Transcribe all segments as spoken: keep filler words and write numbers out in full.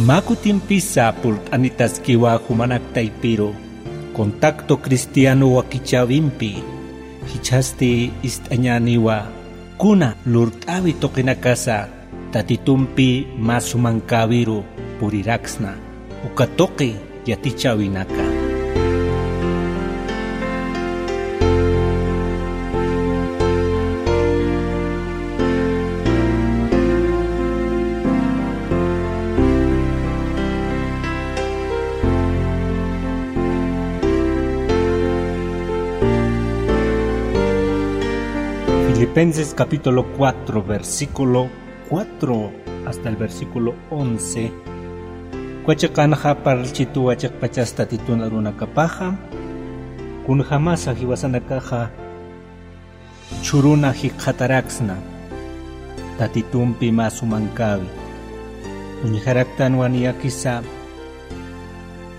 Mä kutimpisa purt'anitaskiwa jumanak taypiru, Contacto Cristiano wakichäwimpi, jichhasti ist'añäniwa kuna lurt'äwi tuqinakasa Tatitumpi mä sumankäwiru puriraksna, uka tuqi yatichäwinaka. Filipenses capítulo cuatro, versículo cuatro hasta el versículo once. Uka chiqanxa parlchituwa chiqpachas Tatitun arunakapaxa, kunjämasa jiwasanakaxa jichhüruna jikxataraksna Tatitumpi mä sumankäwi. Uñjaraktanwa niyakisa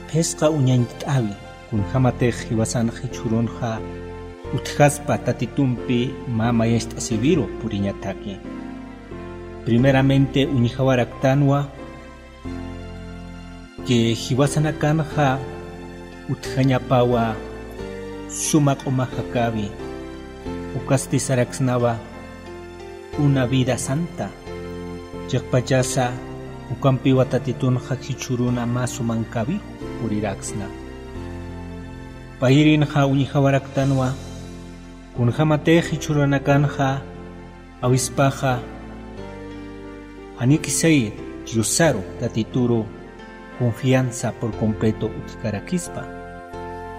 phisqa uñañcht'äwi, kunjämatix jiwasanx jichhürunxa utjaspa Tatitumpi mä mayacht'asiwiru puriñataki. Primeramente uñjawaraktanwa que jiwasanakanxa utjañapawa suma q'uma jakäwi, ukasti saraksnawa una vida santa. Chiqpachasa ukampiwa Tatitunxa jichhüruna mä sumankäwiru puriraksna. Payirinxa uñjawaraktanwa kunjämatix jichhürunakanxa awispaxa, janikisay Diosaru Tatituru confianza por completo utjkarakispa.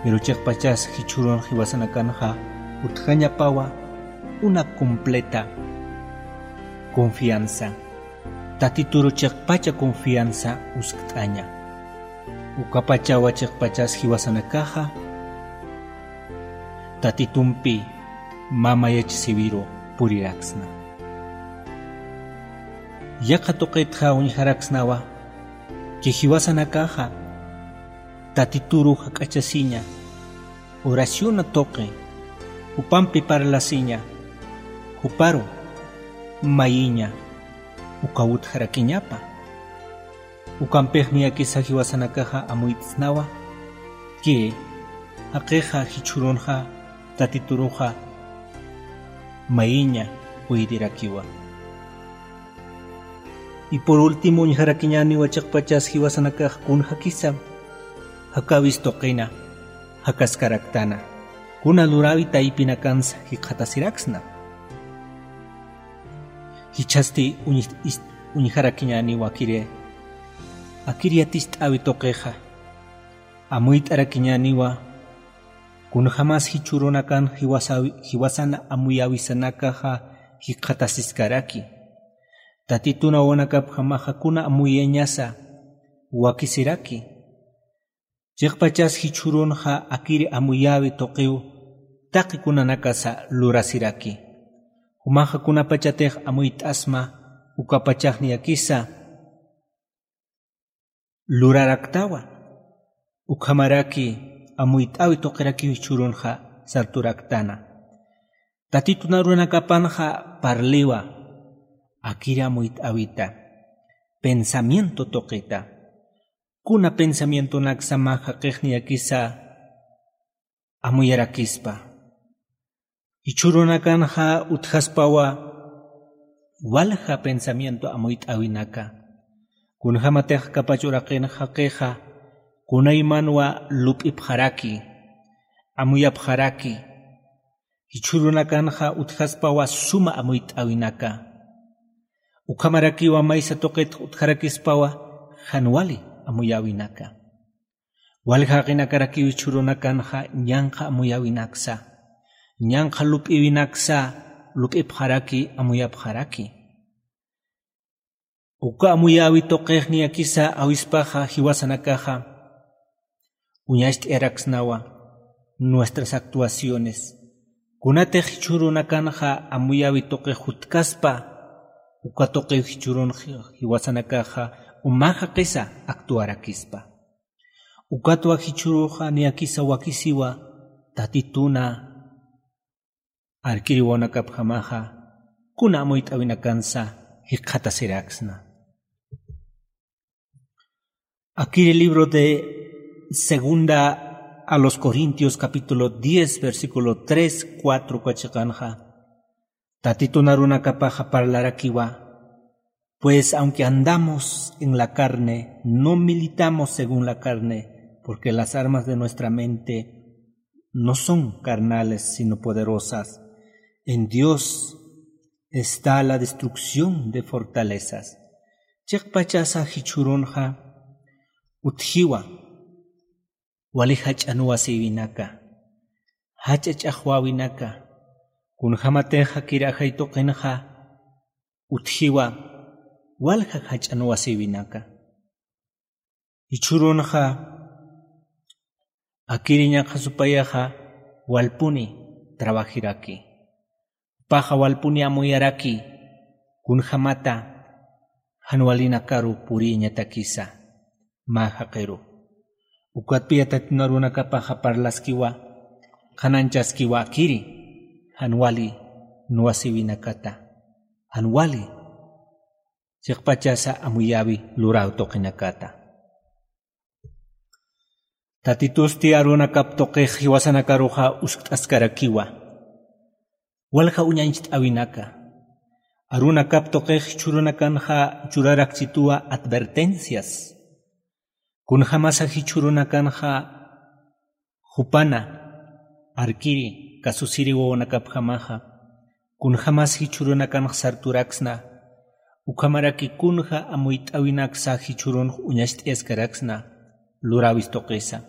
Pero chiqpachas jichhürun jiwasanakanxa utjañapawa una completa confianza. Tatituru chiqpacha confianza uskt'aña. Ukapachawa chiqpachas jiwasanakaxa Tatitumpi mä mayachasiwiru puriraksna. Yaqha tuqitxa uñjaraksnawa que jiwasanakaxa Tatituru jak'achasiña, oraciona tuqi, jupampi parlasiña, juparu mayiña, uka utjarakiñapa. Ukampix niyakisa jiwasanakaxa amuyt'snawa que jaqixa jichhürunxa Tatituruxa mayiña puydirakiwa. Y por último uñjarakiñäniwa chiqpachas jiwasanakax kunjakisa jakäwis tuqina jakaskaraktana, kuna luräwi taypinakansa jikxatasiraksna. Jichhasti uñ-, is-, uñjarakiñäniwa akiri, akir yaticht'äwi tuqixa. Amuyt'arakiñäniwa kunjämas jichhürunakan jiwasawi-, jiwasana amuyäwisanakaxa jikxatasiskaraki. Tatitun awanakapjamaxa kuna amuyañasa wakisiraki. Chiqpachas jichhürunxa akir amuyäwi tuqiw taqi kunanakasa lurasiraki. Jumaxa kunapachatix amuyt'asma, ukapachax niyakisa luraraktawa. Ukhamaraki amuyt'äwi tuqirakiw jichhürunxa sarturaktana. Tatitun arunakapanxa parliwa akir amuyt'äwita, pensamiento tuqita. Kuna pensamientonaksa mä jaqix niyakisa amuyarakispa. Jichhürunakanxa utjaspawa walja pensamiento amuyt'äwinaka. Kunjämatix kapach uraqin jaqixa kunaymanwa lup'ipxaraki, amuyapxaraki. Jichhürunakanxa utjaspawa suma amuyt'äwinaka. Ukhamarakiwa maysa tuqit utjarakispawa jan wali amuyäwinaka. Walja jaqinakarakiw jichhürunakanxa ñanqha amuyäwinaksa, ñanqha lup'iwinaksa lup'ipxaraki, amuyapxaraki. Uka amuyäwi tuqix niyakisa awispaxa jiwasanakaxa uñacht'ayaraksnawa nuestras actuaciones. Kunatix jichhürunakanxa amuyäwi tuqix jutkaspa, uka tuqiw jichhürun ji-, jiwasanakaxa uma jaqisa actuarakispa. Ukatwa jichhüruxa niyakisa wakisiwa Tatituna arkiriwanakapjamaxa kuna amuyt'äwinakansa jikxatasiraksna. Akiri libro de segunda a los Corintios capítulo diez versículo tres, cuatro kachiqanxa. Tatitun arunakapaxa parlarakiwa. Pues aunque andamos en la carne, no militamos según la carne, porque las armas de nuestra mente no son carnales, sino poderosas en Dios está la destrucción de fortalezas. Chiqpachasa jichhurunxa utjiwa wali jach'an wasiwinaka, jach'a ch'axwäwinaka, kunjämatix kiri ajay tuqinxa utjiwa walja jach'an wasiwinaka. Jichhürunxa akiriñaxa supayaxa walpuni trabajiraki. Jupaxa walpuni amuyaraki kunjämata jan walinakaru purïñatakisa mä jaqiru. Ukatpï Tatitun arunakapaxa parlaskiwa, qhanañchaskiwa akiri jan wali nuwasiwinakata, jan wali chiqpachasa amuyäwi luräw tuqinakata. Tatitusti arunakap tuqix jiwasanakaruxa uskt'askarakiwa. Walja uñañcht'äwinaka. Arunakap tuqix jichhürunakanxa churarakchituwa advertencias. Kunjämasa jichhürunakanxa jupana arkiri kasusiri wawanakapjamaxa, kunjämas jichhürunakanx sarturaksna, ukhamaraki kunja amuyt'äwinaksa jichhürunx uñacht'ayaskaraksna luräwis tuqisa.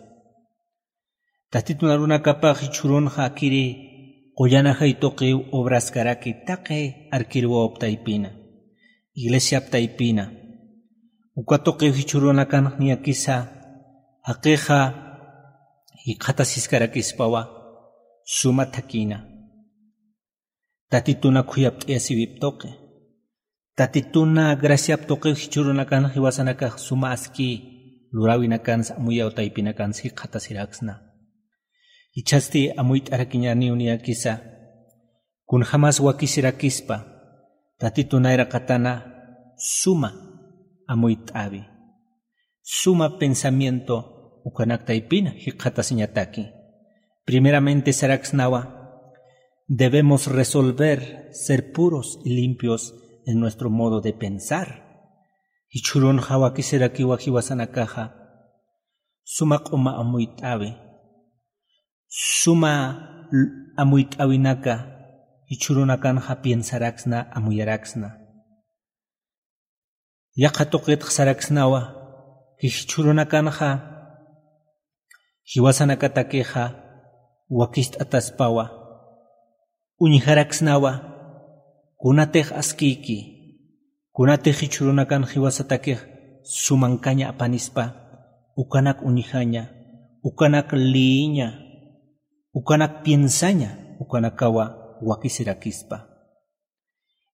Tatitun arunakapax jichhürunxa akiri qullan ajay tuqiw obraskaraki taqi arkir wawap taypina, iglesiap taypina. Uka tuqiw jichhürunakanx niyakisa jaqixa jikxatasiskarakispawa suma thakïna. Tatituna khuyapt'ayasiwip tuqi. Tatituna graciap tuqiw jichhürunakanx jiwasanakax suma aski luräwinakansa amuyaw taypinakansa jikxatasiraksna. Jichhasti amuyt'arakiñaniw niyakisa, kunjämas wakisirakispa Tatitun nayraqatana suma amuyt'äwi, suma pensamiento ukanak taypina jikxatasiñataki. Primeramente saraksnawa, debemos resolver ser puros y limpios en nuestro modo de pensar. Jichhürunxa wakisirakiwa jiwasanakaxa suma q'uma amuyt'äwi, suma l-, amuyt'äwinaka jichhürunakanxa piensaraksna, amuyaraksna. Yaqha tuqitx saraksnawa, jichhürunakanxa jiwasanakatakixa wakist'ataspawa, uñjaraksnawa, kunatix askïki, kunatix jichhürunakan jiwasatakix sumankaña apanispa, ukanak uñjaña, ukanak liyiña, ukanak piensaña, ukanakawa wakisirakispa.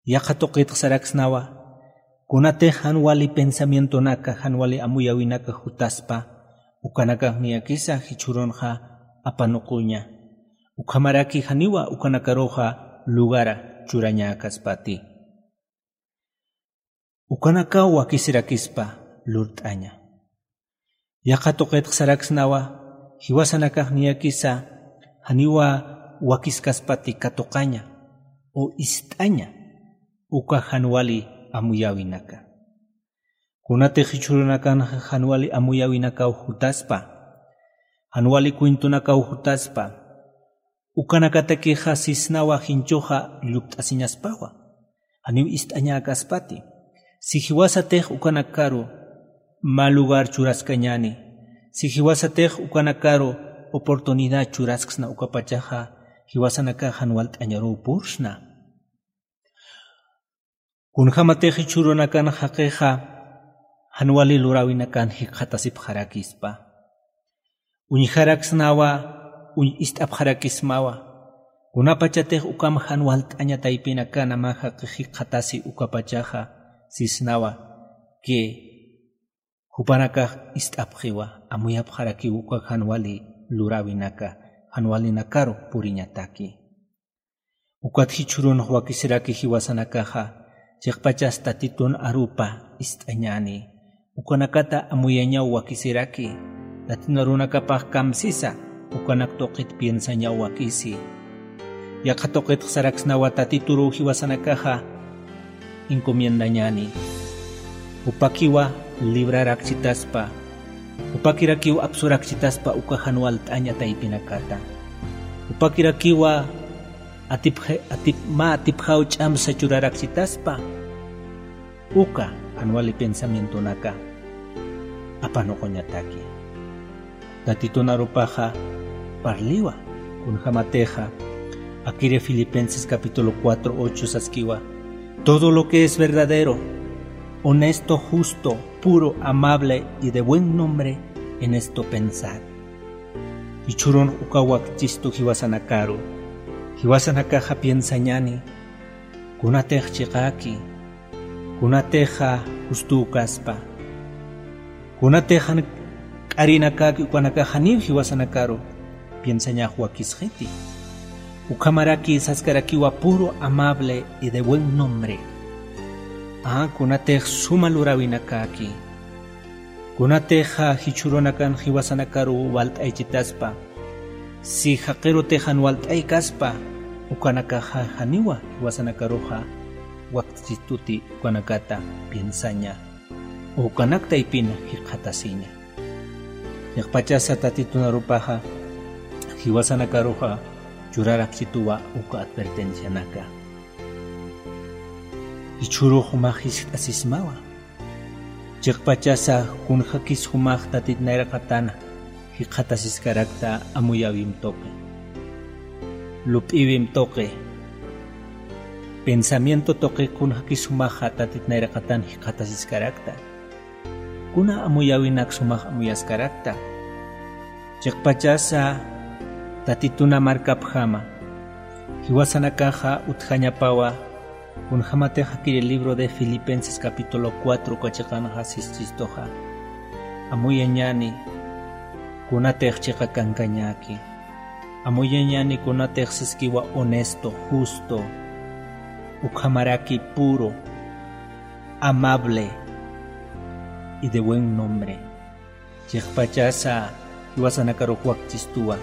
Yaqha tuqitx saraksnawa, kunatix jan wali pensamientonaka, jan wali amuyäwinaka jutaspa, ukanakax niyakisa jichhürunxa apanuquña. Ukhamaraki janiwa ukanakaruxa lugara churañäkaspati. Ukanakaw wakisirakispa lurt'aña. Yaqha tuqitx saraksnawa, jiwasanakax niyakisa janiwa wakiskaspati katuqaña o ist'aña uka jan wali amuyäwinaka. Kunatix jichhürunakanxa jan wali amuyäwinakaw jutaspa, jan wali cuentonakaw jutaspa, ukanakatakixa sisnawa jinchuxa llupt'asiñaspawa, janiw ist'añäkaspati. Si jiwasatix ukanakaru mä lugar churaskañäni, si jiwasatix ukanakaru oportunidad churasksna ukapachaxa, jiwasanakax jan walt'añaruw pursna. Kunjämatix jichhürunakan jaqixa jan wali luräwinakan jikxatasipxarakispa. Uñjaraksnawa, uñ-, ist'apxarakismawa. Kunapachatix ukham jan walt'aña taypinakan mä jaqix jikxatasi ukapachaxa sisnawa que jupanakax ist'apxiwa, amuyapxarakiw uka jan wali luräwinaka, jan walinakaru puriñataki. Ukat jichhürunx wakisiraki jiwasanakaxa, chiqpachas Tatitun arupa ist'añäni, Ukanakata amuyañaw wakisiraki. Tatin arunakapax kamsisa, ukanak tuqit piensañaw wakisi. Yaqha tuqitx saraksnawa Tatituruw jiwasanakaxa encomiendañäni. Jupakiwa librarakchitaspa, jupakirakiw apsurakchitaspa uka jan walt'aña taypinakata. Jupakirakiwa atipxa-, atip-, mä atipxaw ch'amsa churarakchitaspa uka jan wali pensamientonaka apanuquñataki. Tatitun arupaxa parliwa, kunjamatixa akiri Filipenses capítulo cuatro ocho saskiwa: "Todo lo que es verdadero, honesto, justo, puro, amable y de buen nombre, en esto pensad". Jichhürun uka wakchistu jiwasanakaru, jiwasanakaxa piensañäni, kunatix chiqäki, kunatixa justuw kaspa, kunatix jan k'arinakäki, ukanakax janiw jiwasanakaru piensañax wakisxiti. Ukhamaraki saskarakiwa puro, amable y de buen nombre. A, kunatix suma luräwinakäki, kunatixa jichhürunakan jiwasanakaru walt'aychitaspa, si jaqirutix jan walt'aykaspa, ukanakaxa janiwa jiwasanakaruxa wakchistuti ukanakata piensaña, ukanak taypina jikxatasiña. Chiqpachasa Tatitun arupaxa jiwasanakaruxa churarakchituwa uka advertencianaka. Jichhürux jumax jiskt'asismawa. Chiqpachasa kunjakis jumax Tatit nayraqatan jikxatasiskarakta amuyäwim tuqi, lup'iwim tuqi, pensamiento tuqi kunjakis jumaxa Tatit nayraqatan jikxatasiskarakta. Kuna amuyäwinak sumax amuyaskarakta. Chiqpachasa Tatituna markapjama, jiwasanakaxa utjañapawa, kunjamatix akiri libro de Filipenses capítulo cuatro uka chiqanxa sischistuxa: "Amuyañäni kunatix chiqa kankañäki. Amuyañäni kunatix siskiwa honesto, justo, ukhamaraki puro, amable y de buen nombre". Chiqpachasa jiwasanakarux wakchistuwa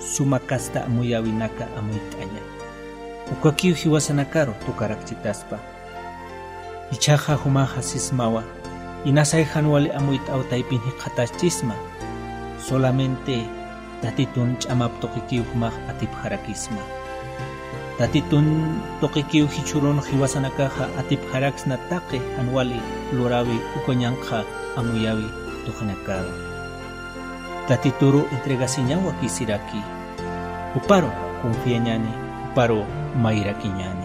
suma kasta amuyäwinaka amuyt'aña, ukakiw jiwasanakaru tukarakchitaspa. Jichhaxa jumaxa sismawa, inasay jan wali amuyt'aw taypin jikxataschisma, solamente Tatitun ch'amap tuqikiw jumax atipxarakisma. Tatitun tuqikiw jichhürun jiwasanakaxa atipxaraksna taqi jan wali luräwi ukañanqha amuyäwi tuqinakaru. Tatituru entregasiñaw wakisiraki. Juparu confiañäni, juparu mayrakiñäni.